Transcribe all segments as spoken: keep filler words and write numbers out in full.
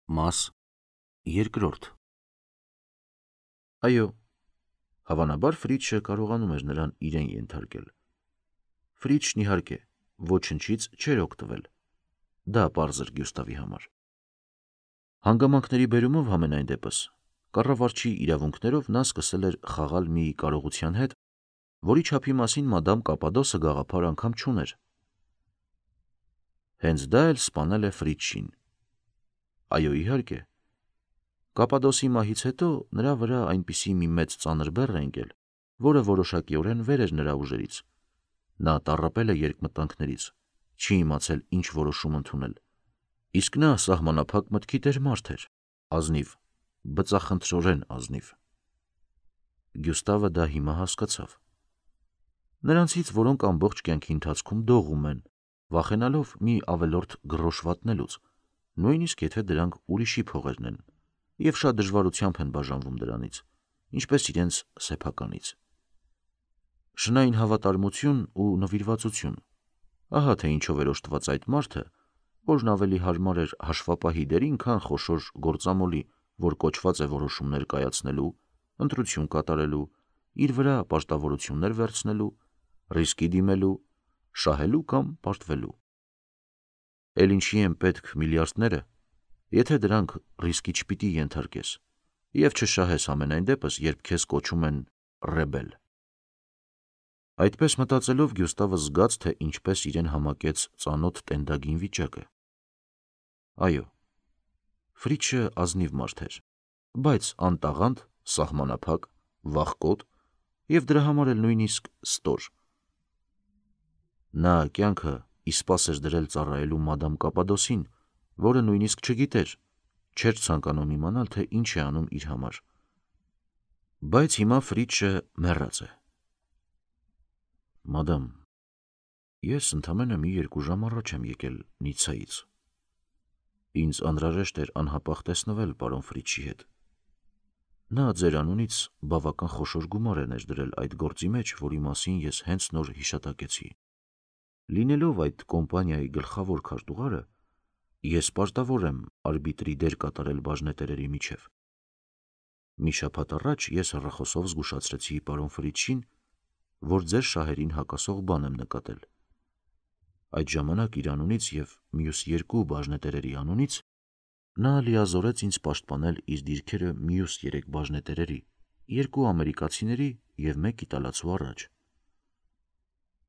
Մաս երկրորդ Այո, հավանաբար Ֆրիչը կարողանում էր նրան իրեն ենթարկել։ Ֆրիչն իհարկե ոչնչից չէր օգտվել։ Դա պարզ էր Գյուստավի համար։ Հանգամանքների բերումով համենայն դեպս կառավարչի իրավունքներով նա սկսել էր խաղալ մի կարողության հետ, որի չափի մասին մադամ Կապադոսը գաղափար անգամ չուներ։ Հենց դա էլ սպանել է Ֆրիչին։ Այո, իհարկե, Կապադոսի մահից հետո նրա վրա այնպիսի մի մեծ ծանր բեռ է ընկել, որը որոշակիորեն վեր էր նրա ուժերից։ Նա տառապել է երկմտանքներից, չի իմացել ինչ որոշում ընդունել։ Իսկ նա սահմանափակ մտքի տեր մարդ էր, ազնիվ, բծախնդրորեն ազնիվ։ Գյուստավը դա հիմա հասկացավ։ Նրանցից, որոնք ամբողջ կյանքի ընթացքում դողում են, վախենալով մի ավելորդ գրոշ վատնելուց, նույնիսկ եթե դրանք ուրիշի փողերն են, և շատ դժվարությամբ են բաժանվում դրանից, ինչպես իրենց սեփականից։ Շնային հավատարմություն ու նվիրվածություն, ահա թե ինչով էր օժտված այդ մարդը, որն ավելի հարմար էր հաշվապահի դերին, քան խոշոր գործամոլի, որ կոչված է որոշումներ կայացնելու, ընտրություն կատարելու, իր վրա պարտավորություններ վերցնելու, ռիսկի դիմելու, շահելու կամ պարտվելու։ Էլ ինչի են պետք միլիարդները, եթե դրանք ռիսկի չպիտի ենթարկես, և չշահես համենայն դեպս, երբ քեզ կոչում են ռեբել։ Այդպես մտածելով Գյուստավը զգաց, թե ինչպես իրեն համակեց ծանոթ տենդագին վիճակը։ Այո, Ֆրիչը ազնիվ մարդ էր, բայց անտաղանդ, սահմանափակ, վախկոտ և դրա համար էլ նույնիսկ ստոր։ Նա կյանքը իսպաս էր դրել ծառայելու մադամ Կապադոսին, որը նույնիսկ չգիտեր, չէր ցանկանում իմանալ, թե ինչ է անում իր համար։ Բայց հիմա Ֆրիչը մեռած է։ Մադամ, ես ընդամենը մի երկու ժամ առաջ եմ եկել Նիցայից։ Ինձ անհրաժեշտ էր անհապաղ տեսնվել պարոն Ֆրիչի հետ։ Նա ձեր անունից բավական խոշոր գումար է ներդրել այդ գործի մեջ, որի մասին ես հենց նոր հիշատակեցի։ Լինելով այդ կոմպանիայի գլխավոր քարտուղարը, ես պարտավոր եմ արբիտրի դեր կատարել բաժնետերերի միջև։ Մի շաբաթ առաջ ես հեռախոսով զգուշացրեցի պարոն Ֆրիչին, որ ձեր շահերին հակասող բան եմ նկատել։ Այդ ժամանակ իր անունից և մյուս երկու բաժնետերերի անունից նա լիազորեց ինձ պաշտպանել իր դիրքերը մյուս երեք բաժնետերերի, երկու ամերիկացիների և մեկ իտալացու առաջ։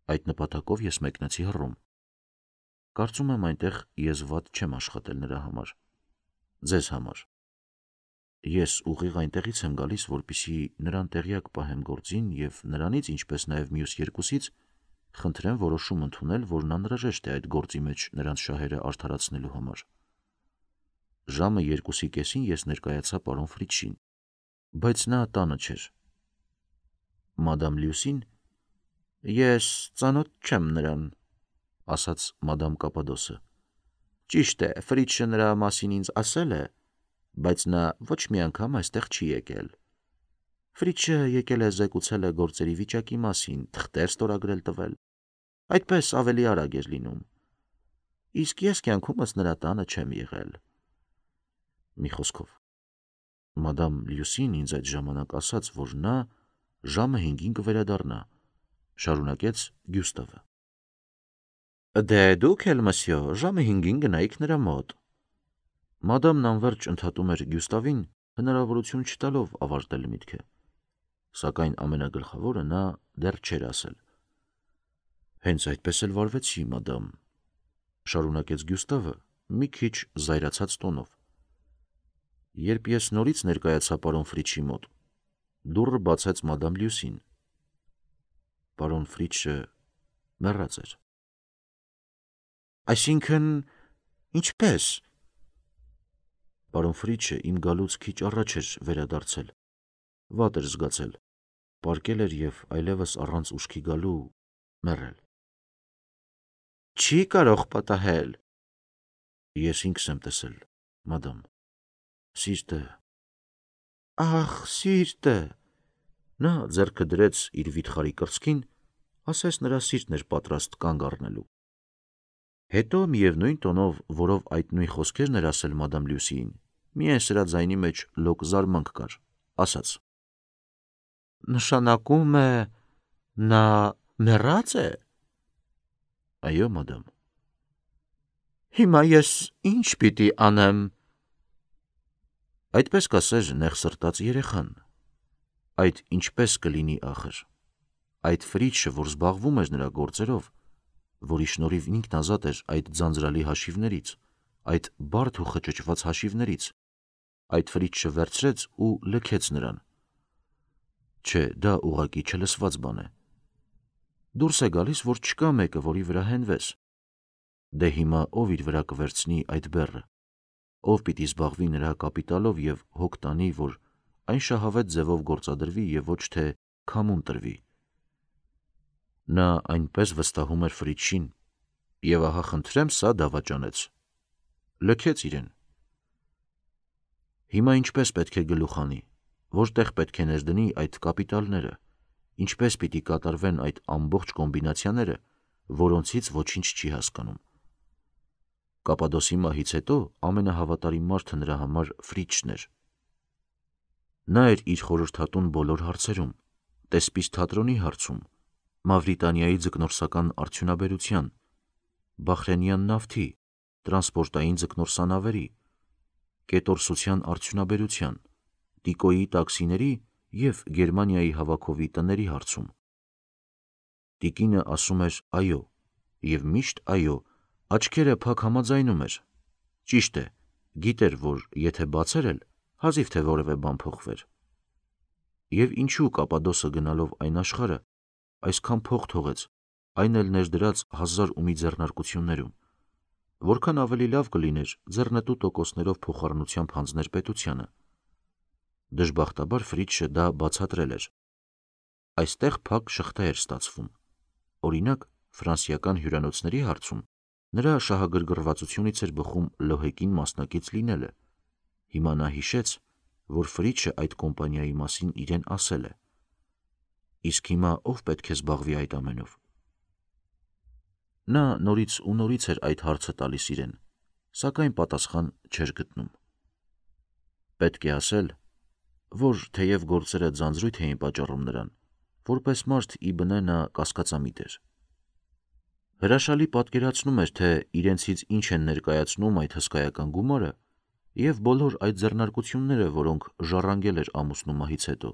Այդ նպատակով ես մեկնեցի Հռոմ։ Կարծում եմ այնտեղ ես վատ չեմ աշխատել նրա համար, ձեզ համար։ Ես ուղիղ այնտեղից եմ գալիս, որպեսզի նրան տեղյակ պահեմ գործին և նրանից, ինչպես նաև մյուս երկուսից, խնդրեմ որոշում ընդունել, որն անհրաժեշտ է այդ գործի մեջ նրանց շահերը արդարացնելու համար։ Ժամը երկուսի կեսին ես ներկայացա պարոն Ֆրիչին, բայց նա տանը չէր։ Մադամ Լյուսին, ես ծանոթ չեմ նրան, ասաց մադամ Կապադոսը։ Ճիշտ է, Ֆրիչը նրա մասին ինձ ասել է, բայց նա ոչ մի անգամ այստեղ չի եկել։ Ֆրիչը եկել է զեկուցել է գործերի վիճակի մասին, թղթեր ստորագրել տվել, այդպես ավելի արագ էր լինում։ Իսկ ես կյանքումս նրա տանը չեմ եղել։ Մի խոսքով, մադամ Լյուսին ինձ այդ ժամանակ ասաց, որ նա ժամը հինգին կվերադառնա, շարունակեց Գյուստավը։ Դե դուք էլ, մսյո, ժամը հինգին գնայիք նրա մոտ։ Մադամն անվերջ ընդհատում էր Գյուստավին, հնարավորություն չտալով ավարտել միտքը, սակայն ամենագլխավորը նա դեռ չէր ասել։ Հենց այդպես էլ վարվեցի, մադամ, շարունակեց Գյուստավը մի քիչ զայրացած տոնով։ Երբ ես նորից ներկայացա պարոն Ֆրիչի մոտ, դուռը բացեց մադամ Լյուսին։ Պարոն Ֆրիչը մեռած էր։ Այսինքն, ինչպես։ Պարոն Ֆրիչը իմ գալուց քիչ առաջ էր վերադարձել, վատ էր զգացել, պառկել էր և այլևս առանց ուշքի գալու մեռել։ Չի կարող պատահել։ Ես ինքս եմ տեսել, մադամ, սիրտը։ Ախ, սիրտը։ Նա ձեռքը դրեց իր վիթխարի կրծքին, ասես նրա սիրտն էր պատրաստ կանգ առնելու։ Հետո միևնույն տոնով, որով այդ նույն խոսքերն էր ասել մադամ Լյուսիին, Միայն սրա ձայնի մեջ լոկ զարմանք կար, ասաց. Նշանակում է նա մեռած է։ Այո, մադամ։ Հիմա ես ինչ պիտի անեմ։ Այդպես կասեր նեղ սրտած երեխան։ Այդ ինչպես կլինի ախր։ Այդ Ֆրիչը, որ զբաղվում էր նրա գործերով, որի շնորհիվ ինքն ազատ էր այդ ձանձրալի հաշիվներից, այդ բարդ ու խճճված հաշիվներից, այդ Ֆրիչը վերցրեց ու լքեց նրան։ Չէ, դա ուղղակի չլսված բան է։ Դուրս է գալիս, որ չկա մեկը, որի վրա հենվես։ Դե հիմա ով իր վրա կվերցնի այդ բեռը, ով պիտի զբաղվի նրա կապիտալով և հոգ տանի, որ այն շահավետ ձևով գործադրվի և ոչ թե քամուն տրվի։ Նա այնպես վստահում էր Ֆրիչին, և ահա խնդրեմ սա դավաճանեց։ Լքեց իրեն։ Հիմա ինչպես պետք է գլուխ անի, որտեղ պետք է ներդնի այդ կապիտալները, ինչպես պիտի կատարվեն այդ ամբողջ կոմբինացիաները, որոնցից ոչինչ չի հասկանում։ Կապադոսի մահից հետո ամենահավատարիմ մարդը նրա համար Ֆրիչն էր։ Նա էր իր խորհրդատուն բոլոր հարցերում, տեսպից թատրոնի հարցում, Մավրիտանիայի ձկնորսական արդյունաբերության, Բախրենյան նավթի, տրանսպորտային ձկնորսանավերի, կետորսության արդյունաբերության, Տիկոյի տաքսիների և Գերմանիայի հավաքովի տների հարցում։ Տիկինը ասում էր այո, և միշտ այո, աչքերը փակ համաձայնում էր։ Ճիշտ է, գիտեր, որ եթե բացեր էլ, հազիվ թե որևէ բան փոխվեր։ Եվ ինչու Կապադոսը գնալով այն աշխարհը, այսքան փող թողեց, այն էլ ներդրած հազար ու մի ձեռնարկություններում, որքան ավելի լավ կլիներ ձեռնտու տոկոսներով փոխառնությամբ հանձներ պետությանը։ Դժբախտաբար Ֆրիչը դա բացատրել էր։ Այստեղ փակ շղթա էր ստացվում։ Օրինակ, ֆրանսիական հյուրանոցների հարցում նրա շահագրգռվածությունից էր բխում Լոհեկին մասնակից լինելը։ Հիմա նա հիշեց, որ Ֆրիչը այդ կոմպանիայի մասին իրեն ասել է։ Իսկ հիմա ով պետք է զբաղվի այդ ամենով։ Նա նորից ու նորից էր այդ հարցը տալիս իրեն, սակայն պատասխան չէր գտնում։ Պետք է ասել, որ թեև գործերը ձանձրույթ էին պատճառում նրան, որպես մարդ ի բնե նա կասկածամիտ էր։ Հրաշալի պատկերացնում էր, թե իրենցից ինչ են ներկայացնում այդ հսկայական գումարը և բոլոր այդ ձեռնարկությունները, որոնք ժառանգել էր ամուսնու մահից հետո։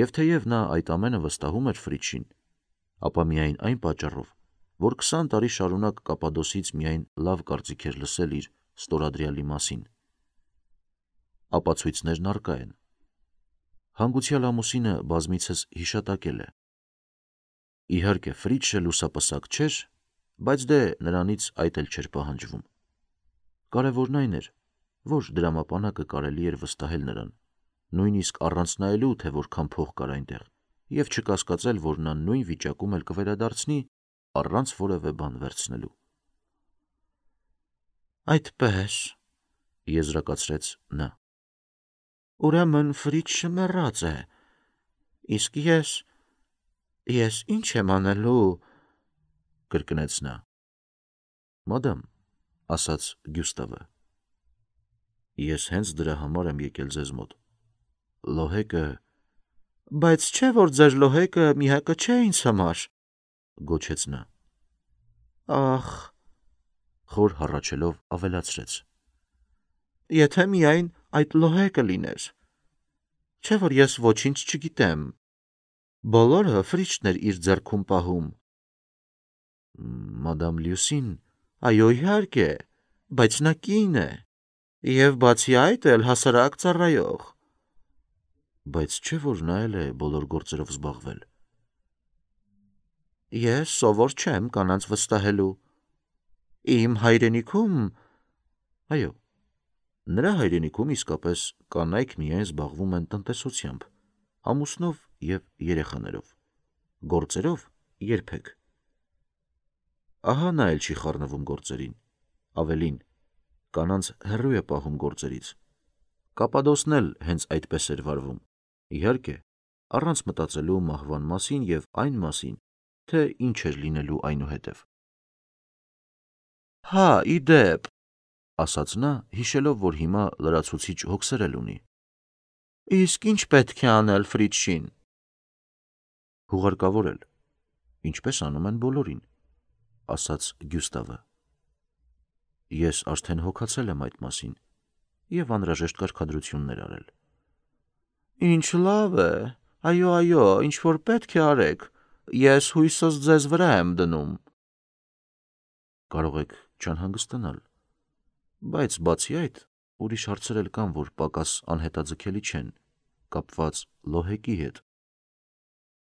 Եվ թեև նա այդ ամենը վստահում էր Ֆրիչին, ապա միայն այն պատճառով, որ քսան տարի շարունակ Կապադոսից միայն լավ կարծիք էր լսել իր ստորադրյալի մասին։ Ապացույցներն առկա են։ Հանգուցյալ ամուսինը բազմիցս հիշատակել է։ Իհարկե, Ֆրիչը լուսապսակ չէր, բայց դե նրանից այդ էլ չէր պահանջվում։ Կարևորն այն էր, որ դրամապանակը կարելի էր վստահել նրան, նույնիսկ առանց նայելու, թե որքան փող կար այնտեղ, և չկասկածել, որ նա նույն վիճակում էլ կվերադարձնի առանց որևէ բան վերցնելու։ Այդպես, եզրակացրեց նա։ Ուրեմն Ֆրիչը մեռած է, իսկ ես, ես ինչ եմ անելու, կրկնեց նա։ Մադամ, ասաց Գյուստավը, ես հենց դրա համար եմ եկել ձեզ մոտ։ Լոհեկը… Բայց չէ, որ ձեր լոհեկը միակը չէ ինձ համար, գոչեց նա։ Ախ, խոր հառաչելով ավելացրեց. Եթե միայն այդ լոհեկը լիներ, չէ որ ես ոչինչ չգիտեմ, բոլորը Ֆրիչն էր իր ձեռքում պահում։ Մադամ Լյուսին… Այո, իհարկե, բայց նա կին է, և բացի այդ էլ հասարակ ծառայող։ Բայց չէ որ նա էլ է բոլոր գործերով զբաղվել։ Ես սովոր չեմ կանանց վստահելու։ Իմ հայրենիքում… Այո, նրա հայրենիքում իսկապես կանայք միայն զբաղվում են տնտեսությամբ, ամուսնով և երեխաներով, գործերով երբեք։ Ահա նա էլ չի խառնվում գործերին, ավելին, կանանց հեռու է պահում գործերից։ Կապադոսն էլ հենց այդպես էր վարվում, իհարկե, առանց մտածելու մահվան մասին և այն մասին, թե ինչ էր լինելու այնուհետև։ Հա, ի դեպ, ասաց նա, հիշելով, որ հիմա լրացուցիչ հոգսերել ունի։ Իսկ ինչ պետք է անել Ֆրիչին։ Հուղարկավորել, ինչպես անում են բոլորին, ասաց Գյուստավը։ Ես արդեն հոգացել եմ այդ մասին և անհրաժեշտ կարգադրություններ արել։ Ինչ լավ է, այո, այո, ինչ որ պետք է արեք, ես հույսս ձեզ վրա եմ դնում։ Կարող եք չանհանգստանալ, բայց բացի այդ, ուրիշ հարցեր էլ կան, որ պակաս անհետաձգելի չեն, կապված Լոհեկի հետ։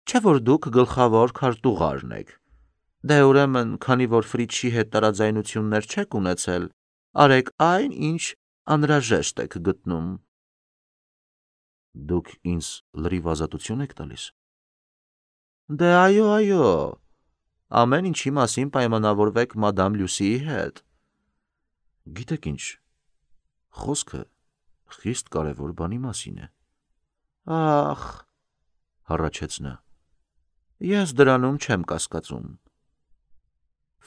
Չէ՞ որ դուք գլխավոր քարտուղարն եք։ Դե ուրեմն, քանի որ Ֆրիչի հետ տարաձայնություններ չեք ունեցել, արեք այն, ինչ անհրաժեշտ եք գտնում։ Դուք ինձ լրիվ ազատություն եք տալիս։ Դե այո, այո, ամեն ինչի մասին պայմանավորվեք մադամ Լյուսիի հետ։ Գիտեք ինչ, խոսքը խիստ կարևոր բանի մասին է։ Ախ, հառաչեց նա, ես դրանում չեմ կասկածում։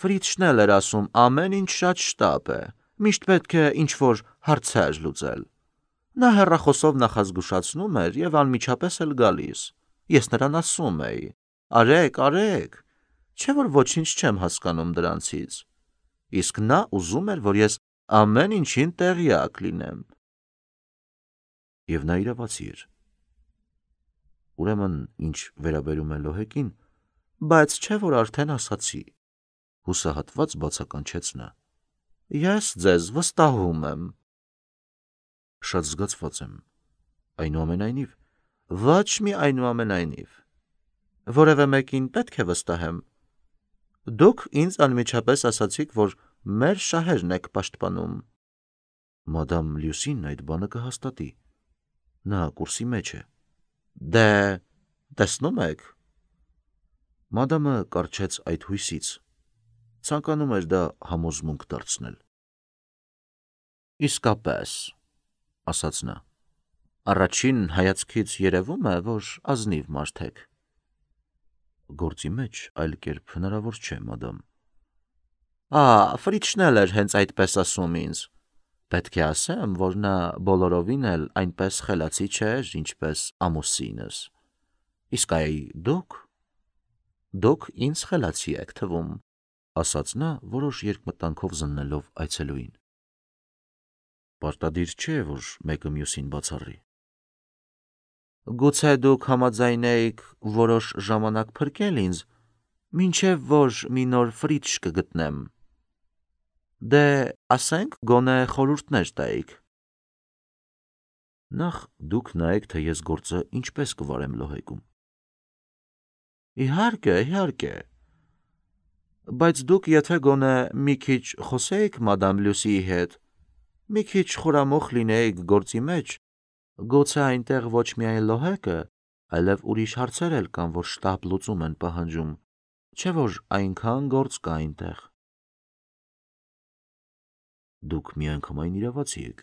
Ֆրիչն էլ էր ասում, ամեն ինչ շատ շտապ է, միշտ պետք է ինչ-որ հարցեր լուծել։ Նա հեռախոսով նախազգուշացնում էր և անմիջապես էլ գալիս։ Ես նրան ասում էի. արեք, արեք, չէ՞ որ ոչինչ չեմ հասկանում դրանցից։ Իսկ նա ուզում էր, որ ես ամեն ինչին տեղյակ լինեմ։ Եվ նա իրավացի էր։ Ուրեմն, ինչ վերաբերում է Լոհեկին, բայց չէ՞ որ արդեն ասացի։ Հուսահատված բացականչեց նա։ Ես ձեզ վստահում եմ։ Շատ զգացված եմ, այնուամենայնիվ։ Ոչ մի այնուամենայնիվ։ Որևէ մեկին պետք է վստահեմ։ Դուք ինձ անմիջապես ասացիք, որ մեր շահերն եք պաշտպանում։ Մադամ Լյուսին այդ բանը կհաստատի։ Նա կուրսի մեջ է։ Դե, տեսնում եք։ Մադամը կառչեց այդ հույսից, ցանկանում էր դա համոզմունք դարձնել։ Իսկապես, ասաց նա, առաջին հայացքից երևում է, որ ազնիվ մարդ եք։ Գործի մեջ այլ կերպ հնարավոր չէ, մադամ։ Ա, Ֆրիչն էլ էր հենց այդպես ասում ինձ։ Պետք է ասեմ, որ նա բոլորովին էլ այնպես խելացի չէր, ինչպես ամուսինս։ Իսկ այ դուք, դուք ինձ խելացի եք թվում, ասաց նա, որոշ երկմտանքով զննելով այցելուին։ Պարտադիր չէ, որ մեկը մյուսին բացառի։ Գուցե դուք համաձայնեիք որոշ ժամանակ փրկել ինձ, մինչև որ մի նոր Ֆրիչ կգտնեմ։ Դե, ասենք, գոնե խորհուրդներ տայիք։ Նախ դուք նայեք, թե ես գործը ինչպես կվարեմ Լոհեկում։ Իհարկե, իհարկե։ Բայց դուք եթե գոնե մի քիչ խոսեիք մադամ Լյուսիի հետ, մի քիչ խորամուխ լինեիք գործի մեջ, գուցե այնտեղ ոչ միայն Լոհեկը, այլև ուրիշ հարցեր էլ կան, որ շտապ լուծում են պահանջում, չէ՞ որ այնքան գործ կա այնտեղ։ Դուք միանգամայն իրավացի եք։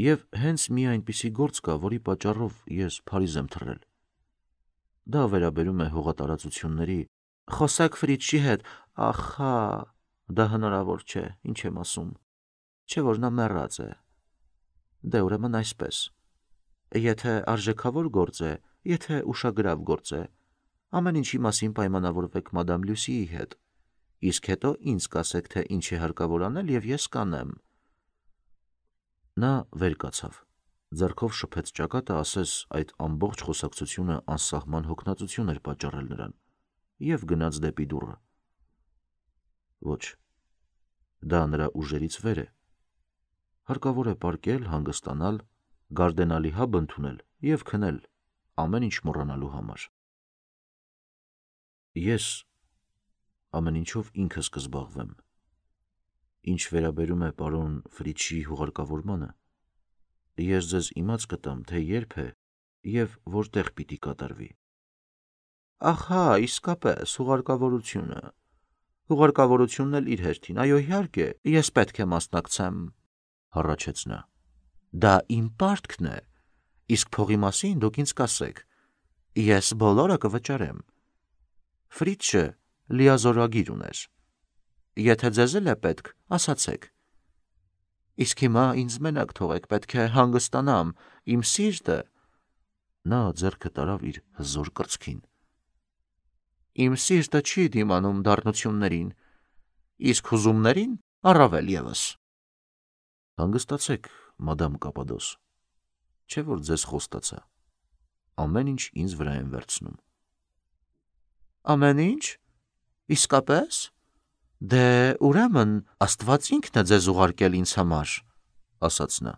Եվ հենց մի այնպիսի գործ կա, որի պատճառով ես Փարիզ եմ թռել։ Դա վերաբերում է հողատարածությունների։ Խոսեք Ֆրիչի հետ, ախա, դա հնարավոր չէ, ինչ եմ ասում, չէ՞ որ նա մեռած է։ Դե ուրեմն այսպես, եթե արժեքավոր գործ է, եթե ուշագրավ գործ է, ամեն ինչի մասին պայմանավորվեք մադամ Լյուսիի հետ, իսկ հետո ինձ կասեք, թե ինչ է հարկավոր անել և ես կանեմ։ Նա վեր կացավ, ձեռքով շփեց ճակատը, ասես այդ ամբողջ խոսակցությունը անսահման հոգնածություն էր պատճառել նրան, և գնաց դեպի դուռը։ Ոչ, դա նրա ուժերից վեր է։ Հարկավոր է պառկել, հանգստանալ, գարդենալի հաբ ընդունել և քնել, ամեն ինչ մոռանալու համար։ Ես ամեն ինչով ինքս կզբաղվեմ։ Ինչ վերաբերում է պարոն Ֆրիչի հուղարկավորմանը, ես ձեզ իմաց կտամ, թե երբ է և որտեղ պիտի կատարվի։ Ախա, իսկապես, հուղարկավորությունը։ Հուղարկավորությունն էլ իր հերթին, այո, իհարկե, ես պետք է մասնակցեմ, հառաչեց նա։ Դա իմ պարտքն է, իսկ փողի մասին դուք ինձ կասեք, ես բոլորը կվճարեմ։ Ֆրիչը լիազորագիր ուներ։ Եթե ձեզ էլ է պետք, ասացեք, Իսկ հիմա ինձ մենակ թողեք, պետք է հանգստանամ, իմ սիրտը։ Նա ձեռքը տարավ իր հզոր կրծքին։ Իմ սիրտը չի դիմանում դառնություններին, իսկ հուզումներին առավել ևս։ Հանգստացեք, մադամ Կապադոս, չէ՞ որ ձեզ խոստացա, ամեն ինչ ինձ վրա են վերցնում։ Ամեն ինչ։ Իսկապես։ Դե ուրեմն Աստված ինքն է ձեզ ուղարկել ինձ համար, ասաց նա։